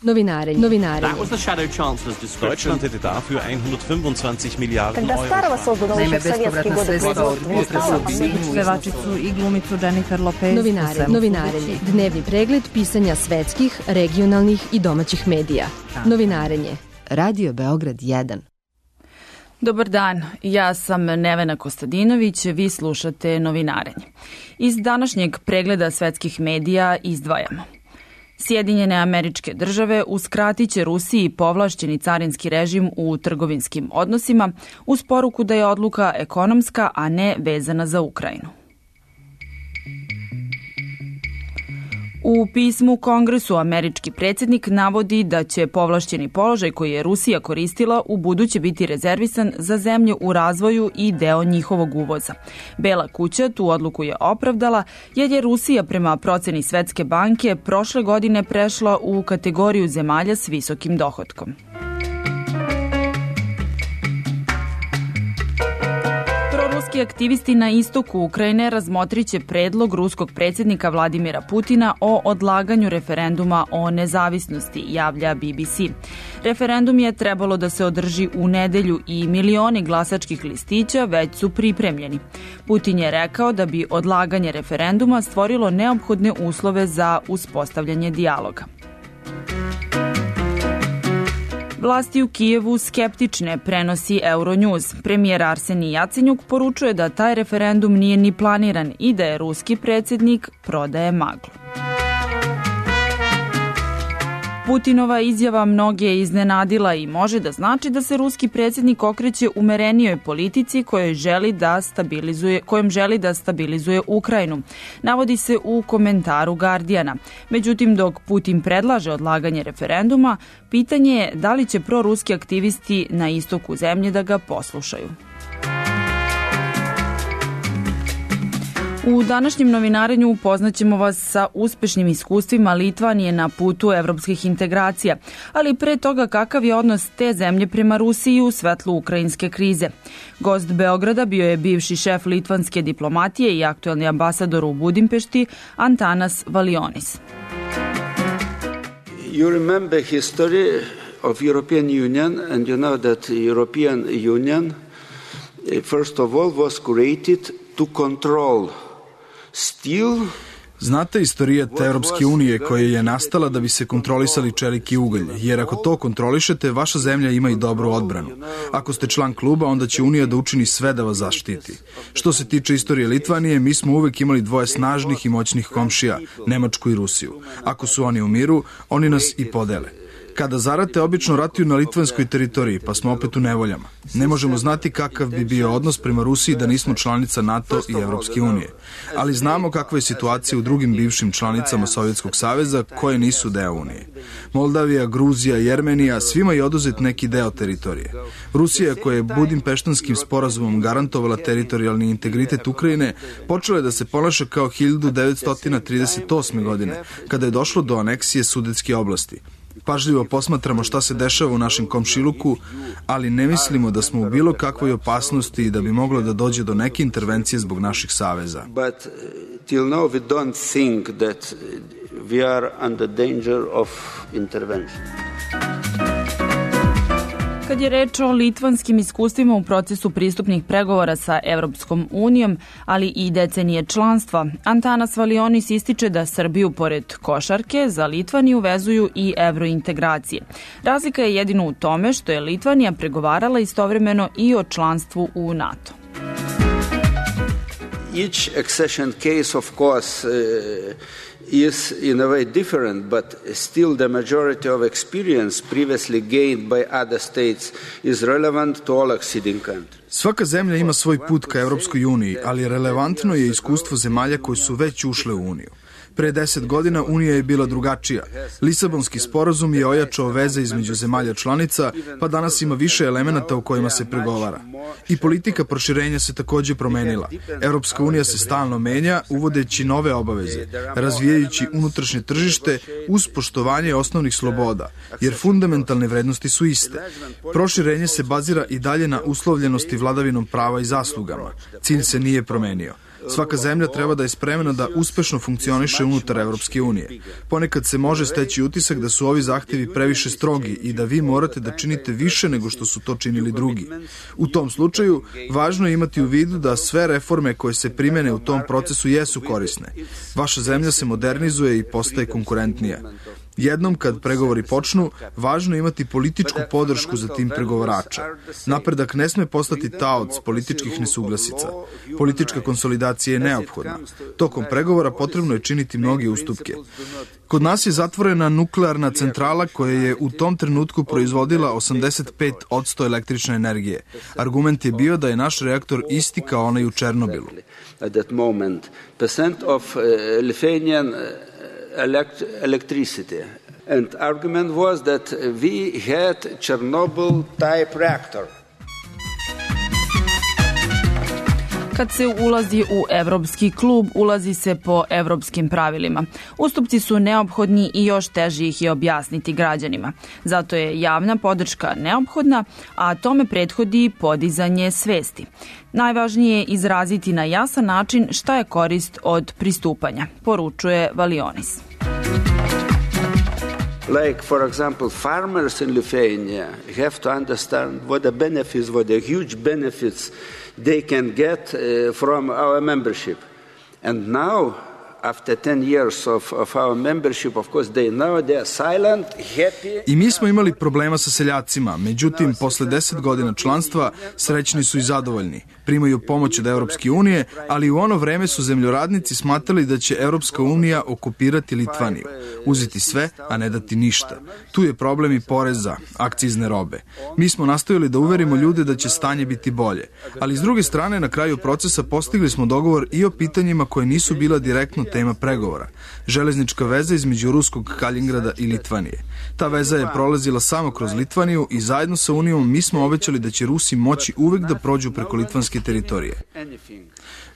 Novinarenje. That was the Shadow Chancellor's description. Deutschland hätte dafür 125 Milijarden Когда старого создано еще в советские годы производства не стало, pevačicu i glumicu Jennifer Lopez. Novinarenje. Dnevni pregled pisanja svetskih, regionalnih i domaćih medija. Novinarenje. Radio Beograd 1. Dobar dan, ja sam Nevena Kostadinović, vi slušate Novinarenje. Iz današnjeg pregleda svetskih medija izdvajamo. Sjedinjene Američke Države uskratit će Rusiji povlašćeni carinski režim u trgovinskim odnosima uz poruku da je odluka ekonomska, a ne vezana za Ukrajinu. U pismu Kongresu američki predsjednik navodi da će povlašćeni položaj koji je Rusija koristila u buduće biti rezervisan za zemlje u razvoju i deo njihovog uvoza. Bela kuća tu odluku je opravdala jer je Rusija prema proceni Svetske banke prošle godine prešla u kategoriju zemalja s visokim dohotkom. Ruski aktivisti na istoku Ukrajine razmotriće predlog ruskog predsjednika Vladimira Putina o odlaganju referenduma o nezavisnosti, javlja BBC. Referendum je trebalo da se održi u nedelju i milioni glasačkih listića već su pripremljeni. Putin je rekao da bi odlaganje referenduma stvorilo neophodne uslove za uspostavljanje dijaloga. Vlasti u Kijevu skeptične, prenosi Euronews. Premijer Arsenij Jacenjuk poručuje da taj referendum nije ni planiran i da je ruski predsjednik prodaje maglu. Putinova izjava mnoge je iznenadila i može da znači da se ruski predsjednik okreće umerenijoj politici kojom želi da stabilizuje Ukrajinu. Navodi se u komentaru Guardiana. Međutim, dok Putin predlaže odlaganje referenduma, pitanje je da li će proruski aktivisti na istoku zemlje da ga poslušaju. U današnjem novinarenju upoznaćemo vas sa uspešnim iskustvima Litvanije na putu evropskih integracija, ali pre toga kakav je odnos te zemlje prema Rusiji u svetlu ukrajinske krize. Gost Beograda bio je bivši šef litvanske diplomatije i aktuelni ambasador u Budimpešti Antanas Valionis. You remember history of European Union and you know that European Union first of all was created to control steel. Znate istorijat Europske unije koja je nastala da bi se kontrolisali čelik i ugalj, jer ako to kontrolišete, vaša zemlja ima i dobru odbranu. Ako ste član kluba, onda će Unija da učini sve da vas zaštiti. Što se tiče istorije Litvanije, mi smo uvek imali dvoje snažnih i moćnih komšija, Nemačku i Rusiju. Ako su oni u miru, oni nas i podele. Kada zarate, obično ratuju na litvanskoj teritoriji, pa smo opet u nevoljama. Ne možemo znati kakav bi bio odnos prema Rusiji da nismo članica NATO i Evropske unije. Ali znamo kakva je situacija u drugim bivšim članicama Sovjetskog saveza koje nisu deo Unije. Moldavija, Gruzija, Jermenija, svima je oduzet neki deo teritorije. Rusija, koja je Budimpeštanskim sporazumom garantovala teritorijalni integritet Ukrajine, počela je da se ponaša kao 1938. godine, kada je došlo do aneksije Sudetske oblasti. Pažljivo posmatramo šta se dešava u našem komšiluku, ali ne mislimo da smo u bilo kakvoj opasnosti i da bi moglo da dođe do neke intervencije zbog naših saveza. But till now we don't think that we are under danger of intervention. Kad je reč o litvanskim iskustvima u procesu pristupnih pregovora sa Evropskom unijom, ali i decenije članstva, Antanas Valionis ističe da Srbiju pored košarke za Litvaniju vezuju i evrointegracije. Razlika je jedino u tome što je Litvanija pregovarala istovremeno i o članstvu u NATO. Each accession case, of course, is in a way different, but still the majority of experience previously gained by other states is relevant to all acceding countries. Svaka zemlja ima svoj put ka Evropskoj uniji, ali relevantno je iskustvo zemalja koje su već ušle u Uniju. Pre 10 godina Unija je bila drugačija. Lisabonski sporazum je ojačao veze između zemalja članica, pa danas ima više elemenata u kojima se pregovara. I politika proširenja se takođe promenila. Evropska unija se stalno menja, uvodeći nove obaveze, razvijajući unutrašnje tržište uz poštovanje osnovnih sloboda, jer fundamentalne vrednosti su iste. Proširenje se bazira i dalje na uslovljenosti vladavinom prava i zaslugama. Cilj se nije promenio. Svaka zemlja treba da je spremna da uspešno funkcioniše unutar Evropske unije. Ponekad se može steći utisak da su ovi zahtevi previše strogi i da vi morate da činite više nego što su to činili drugi. U tom slučaju, važno je imati u vidu da sve reforme koje se primene u tom procesu jesu korisne. Vaša zemlja se modernizuje i postaje konkurentnija. Jednom kad pregovori počnu, važno je imati političku podršku za tim pregovarača. Napredak ne sme postati taoc političkih nesuglasica. Politička konsolidacija je neophodna. Tokom pregovora potrebno je činiti mnoge ustupke. Kod nas je zatvorena nuklearna centrala koja je u tom trenutku proizvodila 85% električne energije. Argument je bio da je naš reaktor isti kao onaj u Černobilu. At that moment, percent of Lithuanian electricity. And argument was that we had Chernobyl type reactor. Kad se ulazi u evropski klub, ulazi se po evropskim pravilima. Ustupci su neophodni i još teže ih je objasniti građanima. Zato je javna podrška neophodna, a tome prethodi podizanje svesti. Najvažnije je izraziti na jasan način šta je korist od pristupanja, poručuje Valionis. Like, for example, farmers in Lithuania have to understand what the benefits, what the huge benefits they can get from our membership. And now, after 10 years of our membership, of course, they are silent, happy. I mi smo imali problema sa seljacima, međutim, posle 10 godina članstva srećni su i zadovoljni. Primaju pomoć od Evropske unije, ali u ono vreme su zemljoradnici smatrali da će Evropska unija okupirati Litvaniju, uzeti sve, a ne dati ništa. Tu je problem i poreza, akcizne robe. Mi smo nastojali da uverimo ljude da će stanje biti bolje, ali s druge strane, na kraju procesa postigli smo dogovor i o pitanjima koje nisu bila direktno tema pregovora. Železnička veza između ruskog Kaljingrada i Litvanije. Ta veza je prolazila samo kroz Litvaniju i zajedno sa Unijom mi smo obećali da će Rusi moći uvek da prođu preko litvanske teritorije.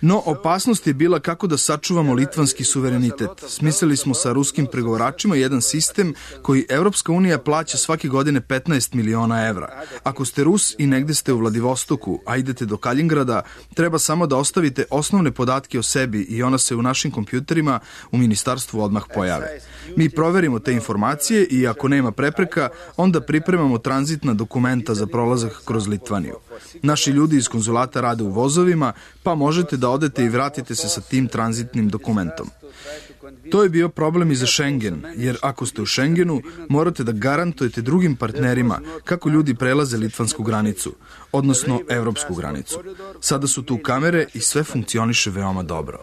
No, opasnost je bila kako da sačuvamo litvanski suverenitet. Smislili smo sa ruskim pregovaračima jedan sistem koji Evropska unija plaća svake godine 15 miliona evra. Ako ste Rus i negde ste u Vladivostoku, a idete do Kaljingrada, treba samo da ostavite osnovne podatke o sebi i ona se u našim kompjuterima u ministarstvu odmah pojave. Mi proverimo te informacije i ako nema prepreka, onda pripremamo tranzitna dokumenta za prolazak kroz Litvaniju. Naši ljudi iz konzulata rade u vozovima, pa možete da odete i vratite se sa tim tranzitnim dokumentom. To je bio problem i za Schengen, jer ako ste u Schengenu, morate da garantujete drugim partnerima kako ljudi prelaze litvansku granicu, odnosno evropsku granicu. Sada su tu kamere i sve funkcioniše veoma dobro.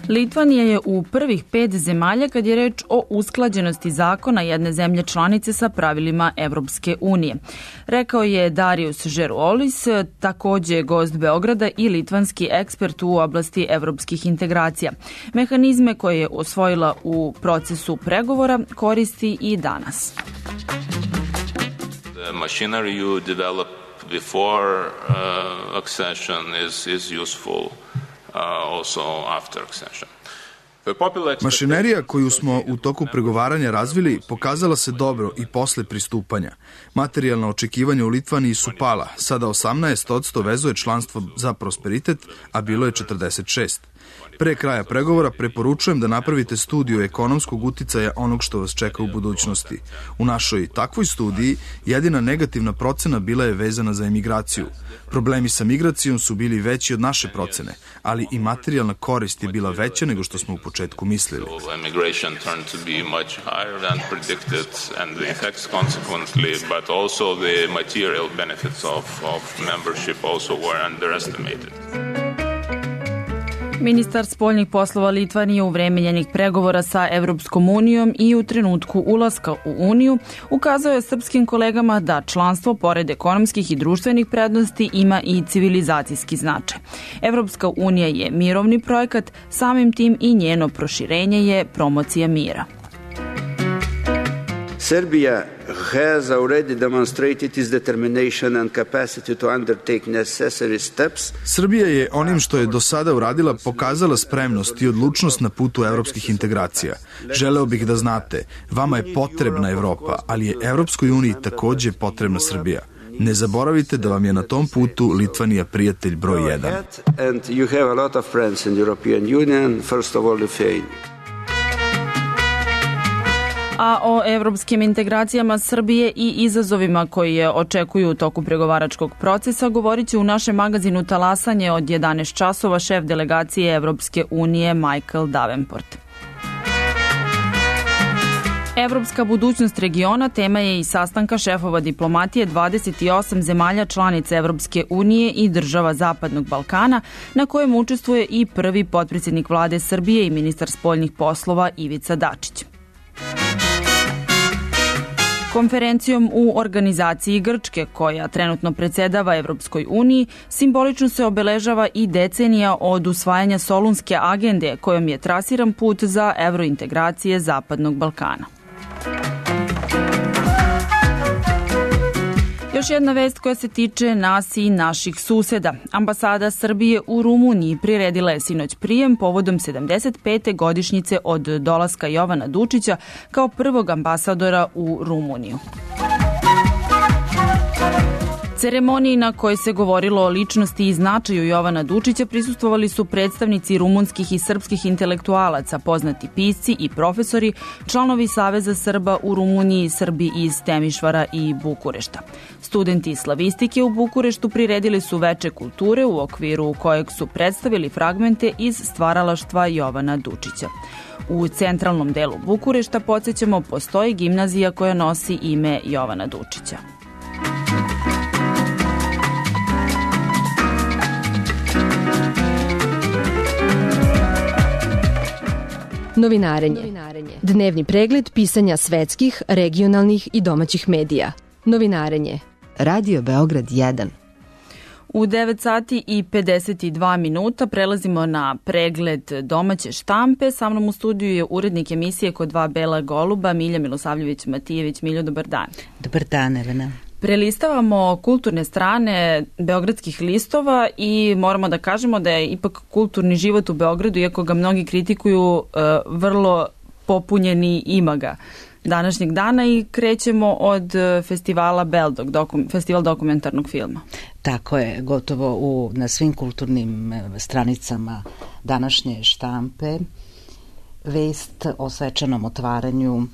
Litvanija je u prvih 5 zemalja kad je reč o usklađenosti zakona jedne zemlje članice sa pravilima Evropske unije. Rekao je Darius Žeruolis, takođe gost Beograda i litvanski ekspert u oblasti evropskih integracija. Mehanizme koje je osvojila u procesu pregovora koristi i danas. The machinery you develop before accession is useful. Also after accession. Mašinerija koju smo u toku pregovaranja razvili pokazala se dobro i posle pristupanja. Materijalna očekivanja u Litvaniji su pala, sada 18% vezuje članstvo za prosperitet, a bilo je 46%. Pre kraja pregovora preporučujem da napravite studiju ekonomskog uticaja onog što vas čeka u budućnosti. U našoj takvoj studiji jedina negativna procena bila je vezana za emigraciju. Problemi sa migracijom su bili veći od naše procene, ali i materijalna korist je bila veća nego što smo u početku mislili. Ministar spoljnih poslova Litvanije u vreme njenih pregovora sa Evropskom unijom i u trenutku ulaska u Uniju ukazao je srpskim kolegama da članstvo pored ekonomskih i društvenih prednosti ima i civilizacijski značaj. Evropska unija je mirovni projekat, samim tim i njeno proširenje je promocija mira. Serbia has already demonstrated its determination and capacity to undertake necessary steps. Srbija je onim što je do sada uradila pokazala spremnost i odlučnost na putu evropskih integracija. Želeo bih da znate, vama je potrebna Evropa, ali je Evropskoj uniji takođe potrebna Srbija. Ne zaboravite da vam je na tom putu Litvanija prijatelj broj 1. And you have a lot of friends in the European Union, first of all Lithuania. A o evropskim integracijama Srbije i izazovima koji je očekuju u toku pregovaračkog procesa govorit će u našem magazinu Talasanje od 11 časova šef delegacije Evropske unije Michael Davenport. Evropska budućnost regiona tema je i sastanka šefova diplomatije 28 zemalja članica Evropske unije i država Zapadnog Balkana, na kojem učestvuje i prvi potpredsjednik vlade Srbije i ministar spoljnih poslova Ivica Dačić. Konferencijom u organizaciji Grčke, koja trenutno predsjedava Evropskoj uniji, simbolično se obeležava i decenija od usvajanja Solunske agende, kojom je trasiran put za evrointegracije Zapadnog Balkana. Još jedna vest koja se tiče nas i naših suseda. Ambasada Srbije u Rumuniji priredila je sinoć prijem povodom 75. godišnjice od dolaska Jovana Dučića kao prvog ambasadora u Rumuniju. Ceremoniji na kojoj se govorilo o ličnosti i značaju Jovana Dučića prisustvovali su predstavnici rumunskih i srpskih intelektualaca, poznati pisci i profesori, članovi Saveza Srba u Rumuniji, Srbi iz Temišvara i Bukurešta. Studenti slavistike u Bukureštu priredili su veče kulture u okviru kojeg su predstavili fragmente iz stvaralaštva Jovana Dučića. U centralnom delu Bukurešta, podsjećamo, postoji gimnazija koja nosi ime Jovana Dučića. Novinarenje. Dnevni pregled pisanja svetskih, regionalnih i domaćih medija. Novinarenje. Radio Beograd 1. U 9 sati i 52 minuta prelazimo na pregled domaće štampe. Sa mnom u studiju je urednik emisije Kod dva bela goluba, Milja Milosavljević-Matijević. Miljo, dobar dan. Dobar dan, Elena. Prelistavamo kulturne strane beogradskih listova i moramo da kažemo da je ipak kulturni život u Beogradu, iako ga mnogi kritikuju, vrlo popunjeni imaga današnjeg dana i krećemo od festivala Beldog, festival dokumentarnog filma. Tako je, gotovo na svim kulturnim stranicama današnje štampe vest o svečanom otvaranju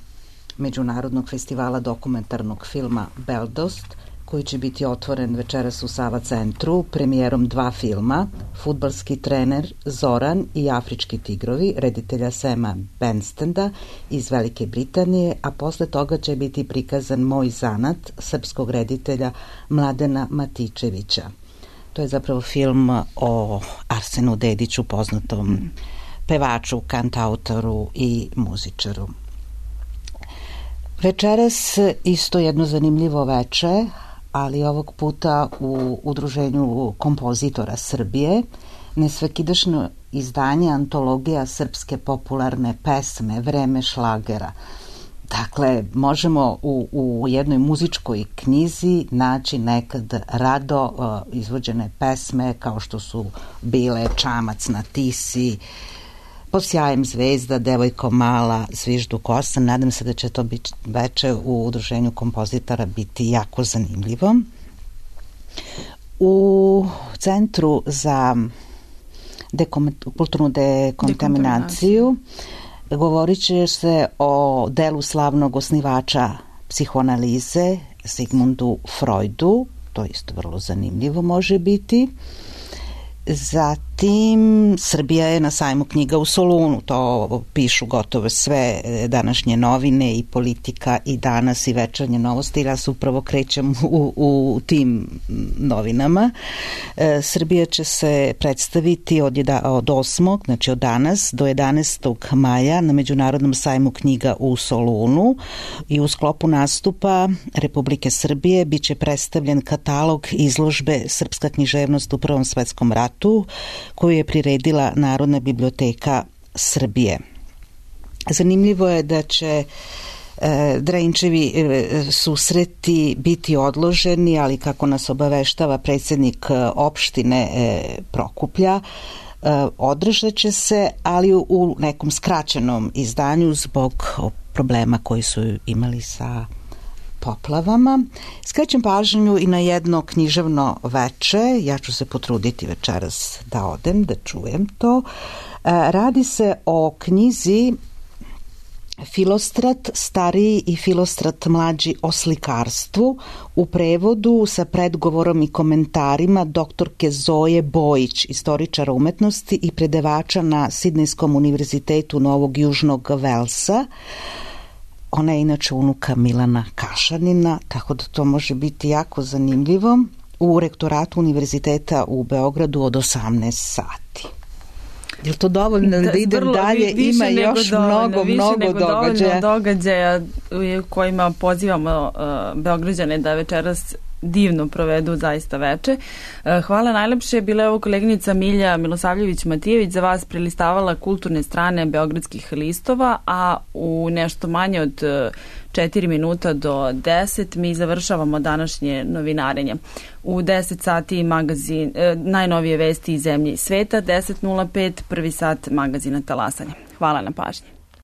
Međunarodnog festivala dokumentarnog filma Beldost, koji će biti otvoren večeras u Sava centru premijerom 2 filma, Fudbalski trener Zoran i Afrički tigrovi, reditelja Sema Benstenda iz Velike Britanije, a posle toga će biti prikazan Moj zanat srpskog reditelja Mladena Matičevića. To je zapravo film o Arsenu Dediću, poznatom pevaču, kantautoru i muzičaru. Večeras isto jedno zanimljivo veče, ali ovog puta u Udruženju kompozitora Srbije, nesvakidašnje izdanje antologija srpske popularne pesme Vreme šlagera. Dakle, možemo u jednoj muzičkoj knjizi naći nekad rado izvođene pesme kao što su bile Čamac na Tisi, Pod sjajem zvezda, Devojko mala, Zviždu kosa. Nadam se da će to biti veče u Udruženju kompozitora biti jako zanimljivo. U Centru za kulturnu dekontaminaciju govorit će se o delu slavnog osnivača psihoanalize Sigmundu Freudu. To isto vrlo zanimljivo može biti. Zatim, Srbija je na sajmu knjiga u Solunu, to pišu gotovo sve današnje novine i Politika i Danas i Večernje novosti. Ja se upravo krećem u tim novinama. Srbija će se predstaviti od 8. znači od danas do 11. maja na Međunarodnom sajmu knjiga u Solunu i u sklopu nastupa Republike Srbije biće predstavljen katalog izložbe Srpska književnost u Prvom svetskom ratu, koju je priredila Narodna biblioteka Srbije. Zanimljivo je da će Dreničevi susreti biti odloženi, ali kako nas obaveštava predsjednik opštine Prokuplja, održat će se, ali u nekom skraćenom izdanju zbog problema koji su imali sa poplavama. Skrećem pažnju i na jedno književno veče, ja ću se potruditi večeras da odem, da čujem to. Radi se o knjizi Filostrat stariji i Filostrat mlađi o slikarstvu, u prevodu sa predgovorom i komentarima doktorke Zoje Bojić, istoričara umetnosti i predavača na Sidnejskom univerzitetu Novog Južnog Velsa. Ona je inače unuka Milana Kašanina, tako da to može biti jako zanimljivo, u rektoratu univerziteta u Beogradu od 18 sati. Je li to dovoljno da idem dalje? Ima još mnogo događaja u kojima pozivamo Beograđane da večeras divno provedu zaista veče. Hvala najlepše. Bila je ovo koleginica Milja Milosavljević-Matijević, za vas prelistavala kulturne strane beogradskih listova, a u nešto manje od 4 minuta do 10 mi završavamo današnje novinarenje. U 10 sati magazin, najnovije vesti iz zemlje i sveta, 10:05, prvi sat magazina Talasanje. Hvala na pažnji.